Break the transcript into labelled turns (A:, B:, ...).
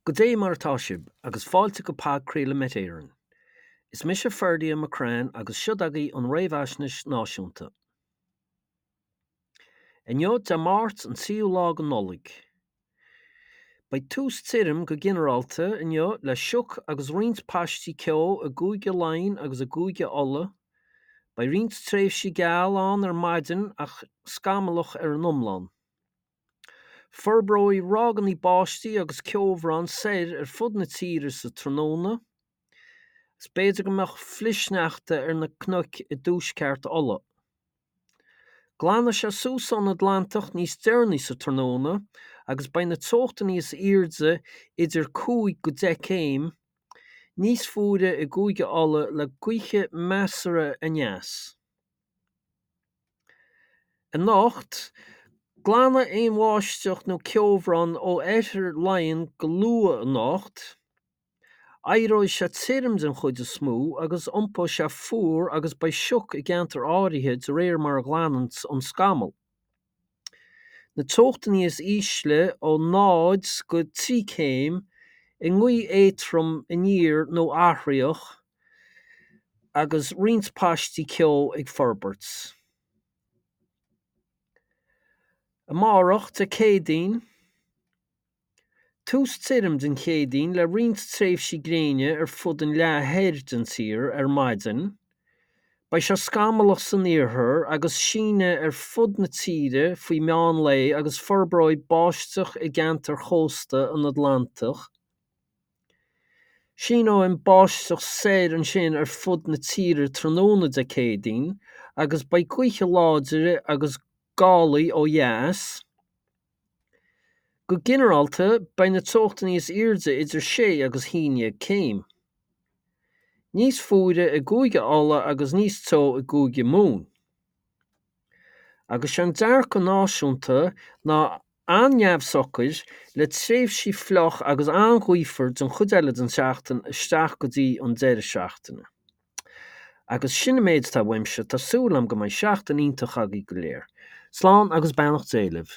A: Goidé mar atá sibh, agus fáilte go Podchraoladh Met Éireann. Is mise Ferdia McCrann agus siod agaibh an Réamhaisnéis Náisiúnta. Inniu, Dé Máirt an tríú lá de Nollaig. Beidh tús tirim go ginearálta inniu le sioc agus roinnt paistí ceo i gCúige Laighean agus i gCúige Uladh. Beidh roinnt tréimhsí geal ann ar maidin ach scamallach ar an iomlán. Forbróidh ráigeanna báistí agus ceobhrán soir ar fud na tíre sa tráthnóna, agus b'fhéidir go mbeadh flichshneachta ar na cnoic i dtuaisceart Uladh. Glanfaidh sé suas ón Atlantach níos deireanaí sa tráthnóna agus beidh na teochtanna is airde idir 5 go 10 céim níos fuaire i gCúige Uladh le gaotha measartha aneas. Anocht, glanfaidh aon bháisteach nó ceobhrán ó oirthear Laighean go luath anocht. Éireoidh sé tirim den chuid is mó agus iompóidh sé fuar agus beidh sioc i gceantair áirithe de réir mar a ghlanann an scamall. Na teochtanna is ísle ó 0 go 3 céim i ngaoth éadrom aniar nó athraitheach agus roinnt paistí ceo ag forbairt. Amárach, Dé Céadaoin, tús tirim den Chéadaoin le roinnt tréimhsí gréine ar fud an leath thoir den tír ar maidin. Beidh sé scamallach san iarthar agus síneadh ar fud na tíre faoi mheán lae agus forbróidh báisteach i gceantair chósta an Atlantaigh. Síneoidh an bháisteach soir ansin ar fud na tíre tráthnóna Dé Céadaoin agus beidh gaotha láidre agus gálaí ó dheas. Go ginearálta, beidh na teochtanna is airde idir 6 agus 11 céim. Níos fuaire i gCúige Uladh agus níos teo i gCúige Mumhan. Agus sé an dearcadh náisiúnta ná an-neamhshocair, le tréimhsí fliuch agus an-ghaofar den chuid eile den tseachtain isteach go dtí an deireadh seachtaine. Agus sin an méid atá uaimse, tá súil agam go mbeidh seachtain iontach agaibh go léir. Slán agus beannacht Dé libh.